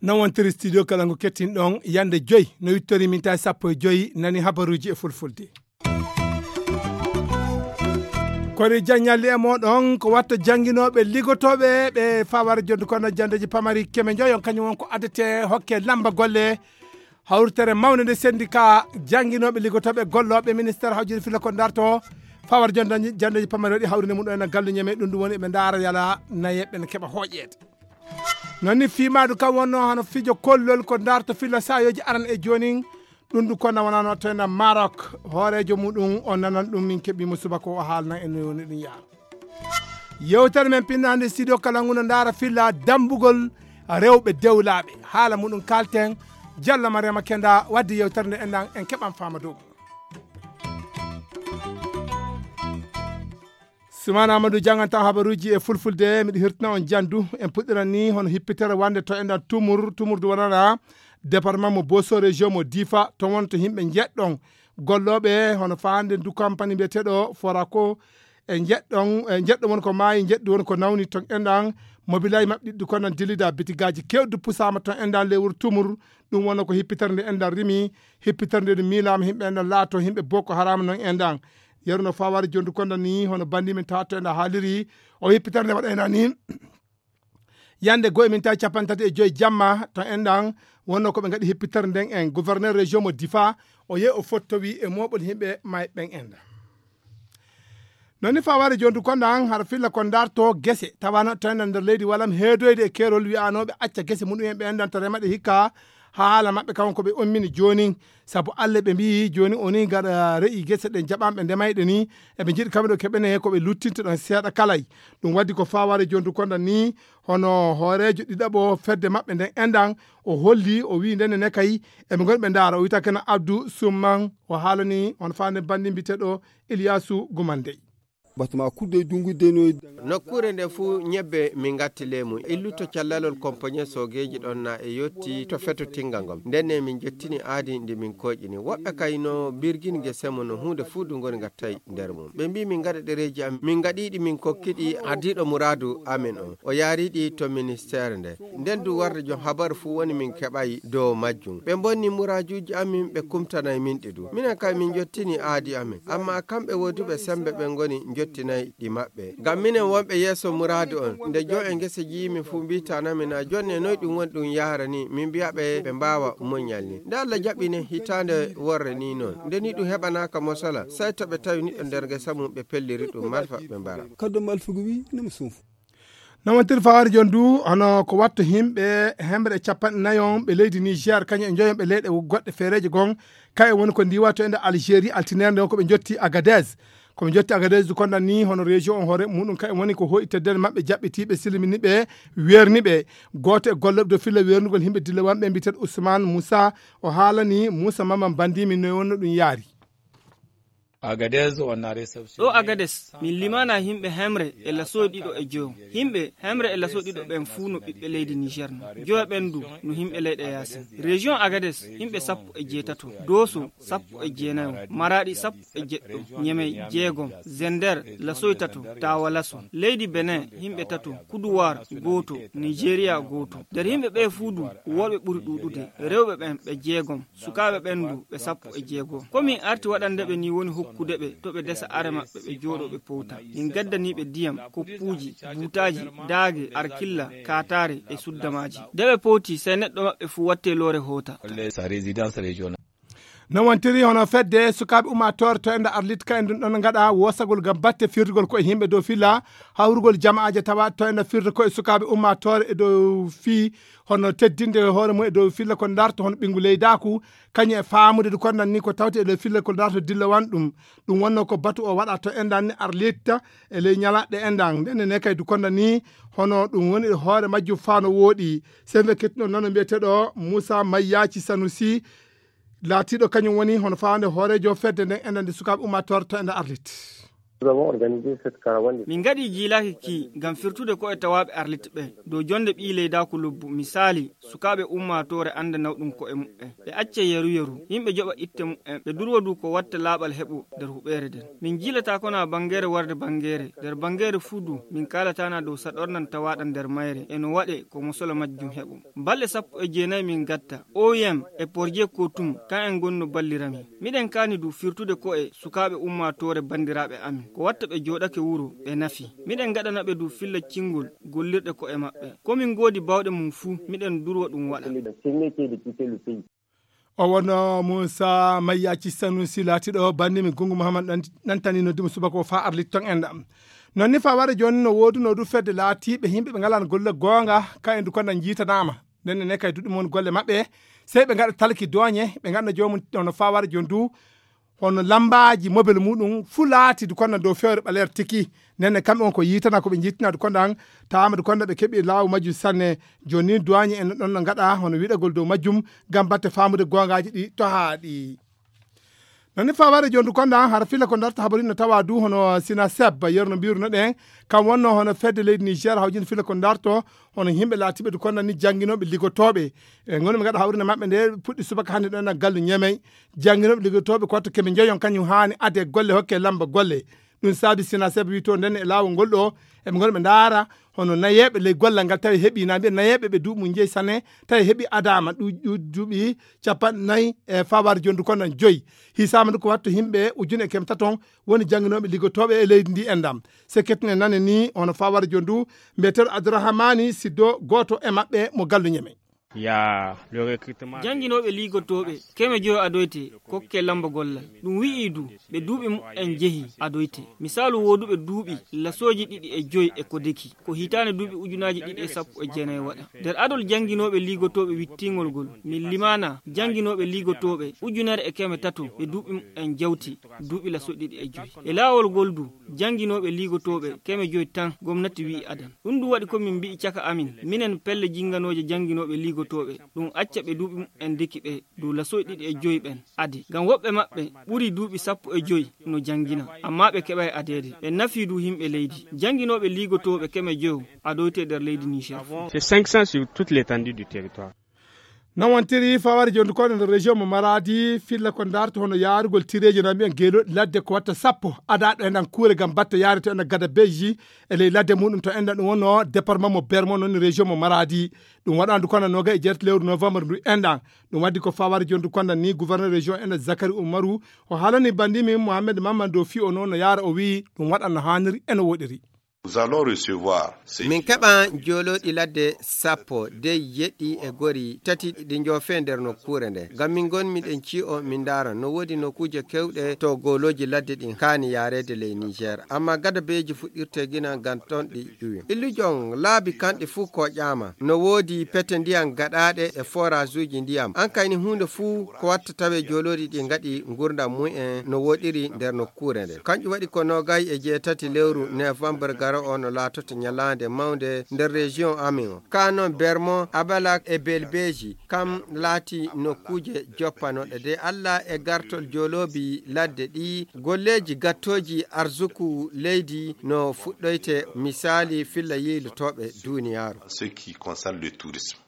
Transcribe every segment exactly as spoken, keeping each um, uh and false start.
Non wontiri studio kala ngo kettin ɗon yande joyi no wittori min tawi sappo e joyi nani habaruji e fulfulde. Kono jaññalli e moɗon ko watta jannginooɓe liggotooɓe ɓe fawar jonde kono jandeji pamari keme joyon kañum won ko addete hokke lamba golle hawritere mawnde nde syndicat jannginooɓe liggotooɓe gollooɓe ministére hawjiri filla ko darto fawar jonde jandeji pamari waɗi hawrinde mum ɗo ena galluñe men ɗum ɗum woni ɓe ndaara yala nayeɓe ne keɓa hooƴeede. Noon ni fiimaadu kam wonno hano fijo kollol ko darto filla saayooji aran e joonin ɗum ɗum konna wonano tena marok hooreejo muɗum o nanan ɗum min keɓimo subaka o haalnan en no woni ɗum yaha. Yewtere men pinnande studio kala nguno ndaara filla dambugol rewɓe dewlaaɓe haala muɗum kalten. Jalla mariama kenda wadde yewtere nde enɗan en keɓan faama dow. Sumana amadou janganta habaruji e fulfulde miɗo hirtina on jandu en puɗɗiran ni hono hippitere wande to enɗan tumur tumurdu wonana département mo boso région mo difa to wonto yimɓe jeɗɗon gollooɓe hono fande du compagnie mbiyeteɗo forako e jeɗɗon e jeɗɗo won ko maayi jeɗɗi won ko nawni ton enɗan mobilay maɓɓe ɗiɗɗi kono dillida bitigaji kewɗi pusama ton enɗan lewru tumur. Ɗum wonno ko hippitere nde enɗan rimi hippitere nde miilama yimɓe enɗan laato yimɓe boko harama non enɗan yeru no fawari jondu konda ni hono bandi min tawa to enɗan haaliri o hippitere nde waɗayna ni yande goye min tawi capanɗe tati e joyi jamma to enɗan wonno koɓe gaɗi hippitere nden en gouverneur région mo difa o yehi o fottowi e moɓol yimɓe may ɓen enɗan. Noon ni faware jondu konda an hara filla kon darto gese tawano tawenda nder leydi walam heedoyde e keerol wiyanooɓe acca gese muɗum en ɓe enɗan to remaɗe hikka haala maɓɓe kam ko ɓe ummini joonin. Sabu allah ɓe mbiyi jooni o ni gaɗa re'i gese ɗen jaɓanɓe ndemayɗe ni eɓe njiɗi kamɓe ɗo keɓene ko ɓe luttinta ɗon seeɗa kalay. Ɗum waddi ko faware jondu konda ni hono hooreejo ɗiɗaɓo fedde maɓɓe nden enɗan o holli o wi ndene ne kay eɓe ngoni ɓe ndaara o wiyta kena abdou summan o haalani hono fande bandi mbiteɗo iliyasu gumandey. Batma kudde dungu denoy. Nokkuure nde fuu ñebbe min ngatti ley mum illuto callalol kompoñe soogeeji ɗon na e yotti to feto tinga ngol ndenne min jottini aadi ndi min koƴini woɓɓe kay no birgin gese mum no huunde fuu du ngoni ngattay nder mum ɓe mbi min ngaɗa ɗereeji am min ngaɗiɗi min kokkiɗi ardiiɗo muraadu amen on o yaariɗi to ministeere nde nden du warde jom habaru fuu woni min keɓay dow majjum ɓe mbonni muraajuuji amin ɓe kumtanay min ɗi du minen kay min jottini aadi amin amma kamɓe wooduɓe sembe ɓe ngoni jottinay ɗi maɓɓe ngam minen wonɓe yeeso muraadu on nde jo e ngese jiimi fuu mbitanami na jonne noy ɗum woni ɗum yaharani min mbiya ɓe ɓe mbaawa muñal ni nde allah jaɓi ne hitaande worre ni noon nde ni ɗum heɓanaka mosala sey to ɓe tawi niɗɗo nder ngesa mum ɓe pelliri ɗum malfa ɓe mbara. Kaddo malfugu wi nemo suufu. Nawontir fawaari jooni du hono ko watta himɓe hemre e capanɗe nayon ɓe leydi niger kañum e joyonɓe leyɗe goɗɗe feereeje gon kaye woni ko ndiwa to ende algérie altinere nde ko ɓe jotti agadez. Ko ɓe jotti agadez du konɗan ni hono région on hoore muɗum kaye woni ko hoyi teddere maɓɓe jaɓɓitiiɓe silminiɓe weerniɓe. Gooto e gollooɓe dow filla weernugol himɓe dilla wanɓe mbiyeteeɗo ousmane moussa o haalani moussa maman bandimi no wonno ɗum yaari. Agadez on a réception ɗo agades min limana himɓe hemre e lasoy ɗiɗo e joyo. Himɓe hemre e lasoy ɗiɗo ɓen fuu no ɓiɓɓe leydi niger no joyo ɓen du no himɓe leyɗe yasin. Région agades himɓe sappo e jeetato, doso sappo e jeenayo, maraɗi sappo e jeɗɗo, ñemey jeegom, zender lasoy tato, tawa laso leydi benin himɓe tato, kuduwar gooto, nigeria gooto. Nder himɓe ɓe fuu du worɓe ɓuri ɗuɗude, rewɓe ɓen ɓe jeegom, sukaaɓe ɓen du ɓe sappo e jeego. Ko min arti waɗande ɓe ni woni hokkude ɓe to ɓe desa are maɓɓe ɓe jooɗo ɓe powta. Min gaddani ɓe diyam, koppuuji, buutaaji, daage, arkilla, kaataare e suddamaaji. Nde ɓe powti sey neɗɗo maɓɓe fuu watte loore hoota. Sa résidence régionale. No wontiri hono fedde sukaaɓe ummaatoore to enda arlit ka en ɗum ɗon gaɗa woosagol ngam batte firtugol ko e yimɓe dow filla hawrugol jama'aaje tawa to enda firta ko e sukaaɓe ummaatoore e dow fii hono teddinde hoore mum e dow filla ko darto hono ɓinngu leydaaku. Kañum e faamude du kondan ni ko tawte e dow filla ko darto dilla wan ɗum. Ɗum wonno ko batu o waɗa to endan ni arlitta e ley ñalaɗɗe endan ndenne ne kay du kondan ni hono ɗum woni e hoore majjum faa no wooɗi. Sembe kettuno nano mbiyeteɗo moussa mayyaci sanusi laatiɗo kañum woni hono fawande hoorejo fedde nden endan nde sukaaɓe ummaatoore to enda arlit. Min ngaɗii jiilaaki kii ngam firtude ko'e tawaaɓe Arlit ɓee dow jonnde ɓii leydaaku lobbu, misaali, sukaaɓe ummaatoore annda nawɗum ko'e muɓɓen, ɓe acca yeru-yeru, yimɓe joɓa itte muɓɓen, ɓe durwa du ko watta laaɓal heɓo nder huɓeere nden. Min jiilataakona banngeere warde banngeere, nder banngeere fuu du min kaalataana dow saɗorndan tawaaɗan nder mayre e no waɗe ko mosolo majjum heɓo. Balɗe sappo e jeenayi min ngatta, O I M e Porje Kotum, kan'en ngonno ballira min. Miɗen kaani du firtude ko'e sukaaɓe ummaatoore banndiraaɓe amin, ko watta ɓe jooɗake wuro, ɓe nafi. Miɗen ngaɗana ɓe du filla cinngol gollirɗe ko'e maɓɓe. Ko min ngoodi baawɗe mum fuu, miɗen durwa ɗum waɗa. O wonno Muusa Mayyaaci Sanusi laatiiɗo banndi mi Gunngu Muhammad ɗan-, ɗantani noddi mo subaka o faa Arlit ton enɗam. Non ni faa wara jooni no woodunoo du fedde laatiiɓe yimɓe ɓe ngalaa golle goonga, ka en du konda njiitanaama. Nden ne kay duɗi mon golle maɓɓe, sey ɓe ngaɗa talki dooñe, ɓe ngaɗana joomum hono faa wara jooni du, hono lammbaaji mobel muuɗum fuu laati du konda dow fewre ɓaleere tiki. Nden ne kamɓe on ko yiitana ko ɓe njiitina du konda an, taama du konda ɓe keɓi laawu majjum sanne. Jooni ni duwaañe en ɗon no ngaɗa hono wiɗagol dow majjum, ngam batte faamude goongaaji ɗi tohaaɗi. Non ni faa wara jooni du konda an, hara filla ko darta habari no tawa du hono Sina Seb, yerno mbiruno ɗen, kam wonno hono fedde leydi Niger hawjin filla ko darto, hono yimɓe laatiiɓe du konda ni jannginooɓe liggotooɓe. E ngoni ɓe ngaɗa hawrinde maɓɓe nde puɗɗi subaka hannde ɗon e gallu Ñemey. Jannginooɓe liggotooɓe ko watto keme njeyon kañum haani ade golle hokke lamba golle. Ɗum saabi Sina Seb wi to nden e laawol ngol ɗo, eɓe ngoni ɓe ndaara hono nayeeɓe ley gollal ngal tawi heɓi, na mbiya nayeeɓe ɓe duuɓi mum njeyi sanne, tawi heɓi adaama ɗu-, ɗu-, duuɓi capanɗe nayi e faa wara jooni du konda joyi. Hisaama du ko watto yimɓe ujune e keme taton woni jannginooɓe liggotooɓe e leydi ndi enɗam. Se kettine nane ni hono faa wara jooni du, mbiyeteeɗo Abdourahmani Siddo, gooto e maɓɓe mo gallu Ñemey. Ya, le recrutement. Jannginooɓe liigotooɓe keme joyo adoyte kokke lamba gollal. Ɗum wi'i du, ɓe duuɓi muɓɓen jehi adoyte. Misaalu wooduɓe duuɓi lasooji ɗiɗi e joyi e ko deki, ko hitaande duuɓi ujunaaji ɗiɗi e sappo e jeenayi waɗa. Nder adol jannginooɓe liigotooɓe wittingol ngol, min limaana jannginooɓe liigotooɓe ujunere e keme tato ɓe duuɓi muɓɓen jawti duuɓi lasooji ɗiɗi e joyi. E laawol ngol du, jannginooɓe liigotooɓe keme joyi tan gomnati wi'i adan. Ɗum du waɗi ko min mbi'i caka amin, minen pelle jinnganooje jannginooɓe liigotooɓe, ɗum acca ɓe duuɓi muɓɓen deki ɓe dow lasooji ɗiɗi e joyi ɓen ade. Ngam woɓɓe maɓɓe ɓuri duuɓi sappo e joyi no janngina, ammaa ɓe keɓaay adeede. Ɓe nafii du yimɓe leydi. Jannginooɓe liigotooɓe keme joyo adoyte nder leydi Niger. C'est cinq cents sur toute l'étendue du territoire. Non wontiri fawari jondu koɗo nder région mo Maradi, filla ko darto hono yaarugol tireeji na mbiyen geelooɗi ladde ko watta sappo. Ada ɗo enɗan kuure ngam batte yaare to enɗan gada beji e ley ladde muɗum to enɗan ɗum wonno département mo Bermo non région mo Maradi. Ɗum waɗandu kono noga e jeet lewru novembre ndu enɗan. Ɗum waddi ko fawari jondu kono ni gouverneur région enɗan Zakari Umaru o haalani bandimi Mohamed Mamman dow fi o noon no yaara o wi ɗum waɗan no haaniri e no woɗiri. Nous allons recevoir ces Min keɓan joolooɗi ladde sappo de yeɗɗi e gori tati ɗi njoofe nder nokkuure nde. Ngam min ngon miɗen ci'o min ndaara no woodi nokkuuje kewɗe to goolooji ladde ɗin kaani yaareede ley Niger. Amma gada beeji fuɗɗirte gina ngam ton ɗi ƴuwi. Illujon laabi kanɗi fuu ko ƴaama. No woodi pete ndiyam gaɗaaɗe e forage uji ndiyam. An kayni huunde fuu ko watta tawe joolooɗi ɗi ngaɗi ngurdam mumen no woɗiri nder nokkuure nde. Kanƴum waɗi ko noogay e jeetati lewru novembre garo o no laatoto ñalaande mawnde nder région amin o. Ka non Bermo, Abalak e Belbeji, kam laati nokkuuje joppanoɗe de Allah e gartol jooloobi ladde ɗi, golleeji gattooji arsuku leydi no fuɗɗoyte, misaali filla yiilotooɓe duniyaaru. Ce qui concerne le tourisme.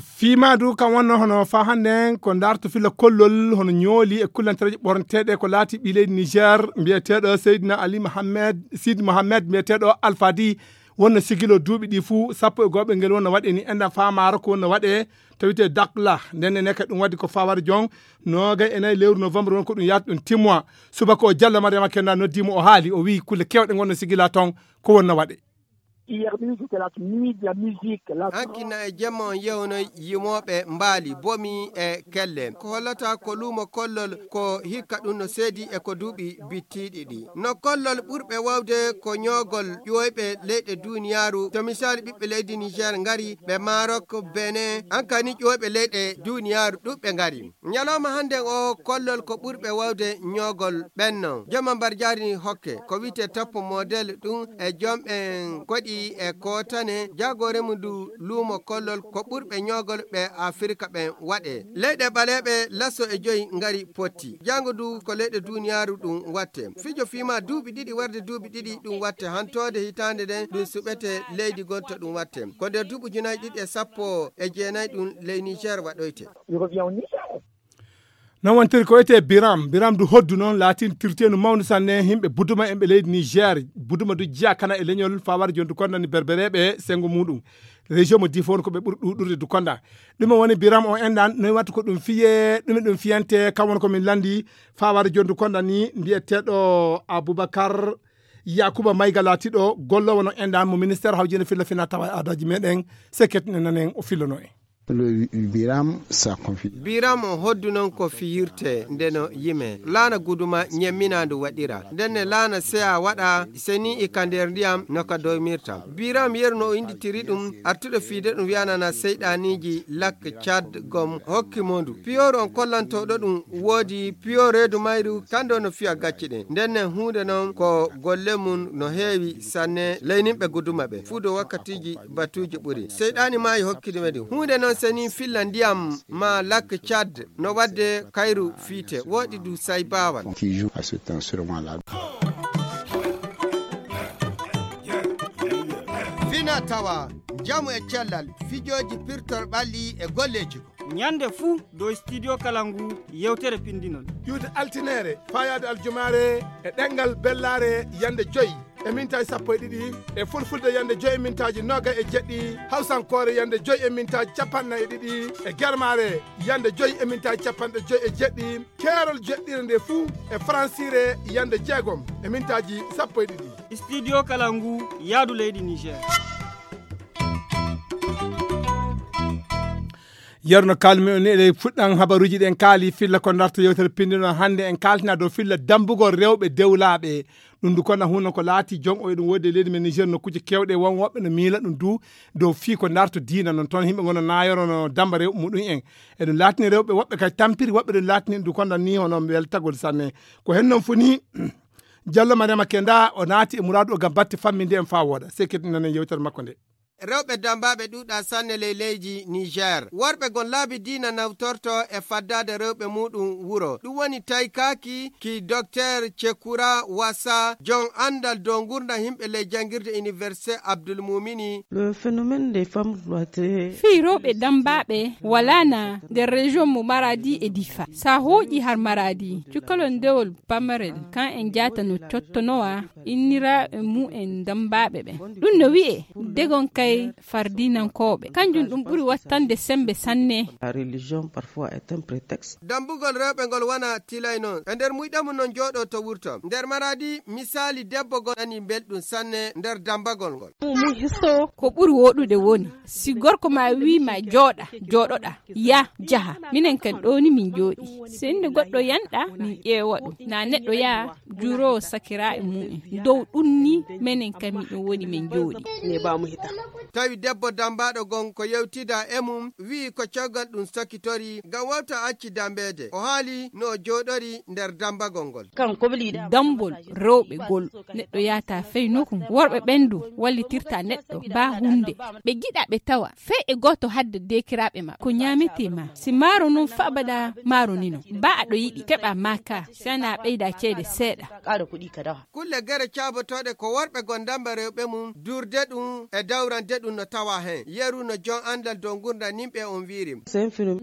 Fiima du kam wonno hono fa hannde en ko darto filla kollol hono ñooli e kullantereeje ɓorneteeɗe ko laati ɓii leydi Niger mbiyeteeɗo Seydina Ali Mohamed, Sidi Mohamed mbiyeteeɗo Alfadi wonno sigilo duuɓi ɗi fuu sappo e go'oɓe ngel wonno waɗe ni enɗan fa maaro ko wonno waɗe to wiyetee Dakla. Nden ne ka ɗum waddi ko fawari jon noogay e nayi lewru novembre won ko ɗum yaata ɗum timmoa. Subaka o Jallo Mariama Kenda noddi mo o haali o wi'i kulle kewɗe ngonno sigila ton ko wonno waɗe. Hier nuit, c'était la nuit de la musique. La Hanki na e jemma on yewnoy yimooɓe mbaali bomi e kelle. Ko hollata ko luumo kollol ko hikka ɗum no seedi e ko duuɓi bittiiɗi ɗi. No kollol ɓurɓe wawde ko ñoogol ƴooyɓe leyɗe duniyaaru. To misaali ɓiɓɓe leydi Niger ngari, ɓe Maroc, Benin, hankani ƴooyɓe leyɗe duniyaaru ɗuɓɓe ngari. Ñalawma hannden o kollol ko ɓurɓe wawde ñoogol ɓenno. Jemma mbar jaari hokke ko wiyetee top model ɗum e jomɓen koɗi e kootane, jaagoore mum ndu luumo kollol ko ɓurɓe ñoogol ɓe Afirka ɓen waɗe. Leyɗe ɓaleeɓe laso e joyi ngari potti. Jaango ndu ko leyɗe duniyaaru ɗum watte. Fijo fiima duuɓi ɗiɗi warde duuɓi ɗiɗi ɗum watte. Hantoode hitaande nden ɗum suɓete leydi gonto ɗum watte. Ko nder duuɓi ujunaaji ɗiɗi e sappo e jeenayi ɗum ley Niger waɗoyte. Non wontiri ko etee Biram. Biram du hoddu noon laatintirteenu mawndu sanne himɓe buduma en ɓe leydi Niger. Buduma du jiya kana e leñol fawar jondu konda ni berbereɓe sengo muɗum. Région mo Difon ko ɓe ɓuri ɗuɗurde du konda. Ɗume woni Biram o enɗan, noy wattu ko ɗum fiye, ɗume ɗum fiyante, kam woni ko min landi fawar jondu konda ni mbiyeteɗo Aboubacar Yakuba Mayga laatiɗo gollowo no enɗan mo ministère hawjinde filla fina tawa adaji meɗen. Seket ne nanen o fillono en. Biram sa konfi. Biram o hoddu noon ko fiyirte nde no yime. Laana guduma ñemminaandu waɗira. Ndenne laana seya waɗa seni e ka nder ndiyam no ka doymirta. Biram yeru no o inditiri ɗum, artuɗo fiide ɗum wiyanana seyɗaaniiji lak Cad gom hokki mo ndu. Piyooru on kollantooɗo ɗum woodi piyo reedu mayru kando no fiya gacce ɗen. Ndenne huunde noon ko golle mum no heewi sanne ley nimɓe guduma ɓe. Fuu do wakkatiiji batuuji ɓuri. Seyɗaani maayi hokkidi men ɗum. Huunde noon seni filla ndiyam ma lak Cad no wadde kayru fiite. Woɗi du say baawal. Qui joue à ce temps sur moi là. Fina tawa, njamu e cellal, fijooji pirtol ɓalli e golleeji. Ñande fuu dow studio kala ngu yewtere pinndinol. Ƴuwde altineere, fayaade aljumaare, e ɗemngal bellaare yande joyi e mintaaji sappo e ɗiɗi, e fulfulde yande joyi e mintaaji noogay e jeɗɗi, hawsankoore yande joyi e mintaaji capanɗe nayi e ɗiɗi, e germaare yande joyi e mintaaji capanɗe joyi e jeɗɗi, keerol jeɗɗire nde fuu e faransiire yande jeegom e mintaaji sappo e ɗiɗi. Studio kala ngu yaadu leydi Niger. Yerno kalmi on eɗe fuɗɗan habaruuji ɗen kaali filla ko darta yewtere pinndino hannde en kaaltina dow filla dambugol rewɓe dewlaaɓe. Ɗum du kona huno ko laati jon o eɗum woodi e leydi men Niger nokkuuje kewɗe won woɓɓe no miila ɗum du dow fii ko darto diina non toon yimɓe gono naayoro no damba rewɓe muɗum en. Eɗum laatini rewɓe woɓɓe kadi tampiri woɓɓe ɗum laatini ɗum konda ni hono weltagol sanne. Ko hen non funi Jallo Mariama Kenda o naati e muraadu o gam batte famminde en faa wooɗa. Sey kadi nanen yewtere makko nde. Rewɓe dambaaɓe ɗuuɗa sanne ley leydi Niger. Worɓe gon laabi diina nawtorto e faddaade rewɓe muuɗum wuro. Ɗum woni taykaaki ki Docteur Cekura Wasa, jon anndal dow ngurndan yimɓe ley janngirde Université Abdul Mumini. Le phénomène des femmes cloîtrées. Fii rewɓe dambaaɓe walaana nder région mo Maradi e Difa. Sa hooƴi har Maradi, cukalon ndewol pamarel, kan en jaata no cottonowa inniraaɓe mumen dambaaɓe ɓen. Ɗum no wi'e degon kay fardinankooɓe. Kanjum ɗum ɓuri wattande sembe sanne. La religion parfois est un prétexte. Dambugol rewɓe ngol wona tilay non. E nder muyɗe mum non jooɗo to wurto. Nder Maradi, misaali debbo gon nani belɗum sanne nder dambagol ngol. Ko ɓuri woɗude woni, si gorko ma wii ma jooɗa, jooɗoɗa, ya, jaha. Minen kan ɗo ni min jooɗi. Si innde goɗɗo yanɗa, min ƴeewa ɗum. Na neɗɗo yaa juuroowo sakiraaɓe mumen. Dow ɗum ni, menen kan miɗum woni min jooɗi. Tawi debbo dambaaɗo gon ko yewtida e mum, wi'i ko caggal ɗum sakitori, ngam wawta acci dambeede. O haali no o jooɗori nder dambagol ngol. Dambol rewɓe gol, neɗɗo yaata fey nokku. Worɓe ɓen du wallitirta neɗɗo, ba hunde. Ɓe giɗa ɓe tawa, fey e gooto hadde deekiraaɓe ma. Ko ñaametee ma. Si maaro non fa abada maaro ni non. Ba aɗo yiɗi, keɓa ma ka, si ana ɓeyda ceede seeɗa. Kulle gere caabotooɗe ko worɓe gon damba rewɓe mum, duurde ɗum e dawrande ɗum no tawa hen. Yeru no jon anndal dow ngurndan yimɓe on wiiri.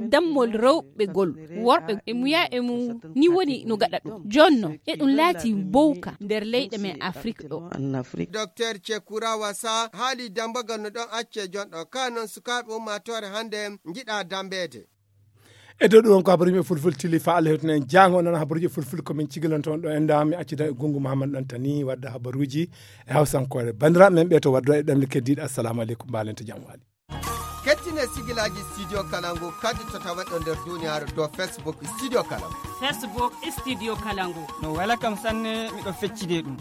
Dammol rewɓe gol, worɓe e muya e mum ni woni no gaɗa ɗum. Jon non, e ɗum laati mbowka nder leyɗe men Afrik ɗo. Docteur Cekura Wasa haali dambagal no ɗon acce jon ɗo. Ka non sukaaɓe ummaatoore hannde njiɗa dambeede. E dow ɗum won ko habaruuji men fulful tili fa Allah hewtina en jaango non habaruuji fulful ko min cigilonto on ɗo en da mi accida e gungu Muhammad Dantani wadda habaruuji e hawsankoore. Bandiraɓe men ɓe to waddo e ɗemle keddiɗe, assalamu aleykum, mbalen to jam wali. Kettine sigilaaji Studio Kalangu kadi to tawa ɗo nder duniyaaru dow Facebook Studio Kalangu. Facebook Studio Kalangu. No wela kam sanne, miɗo feccide ɗum.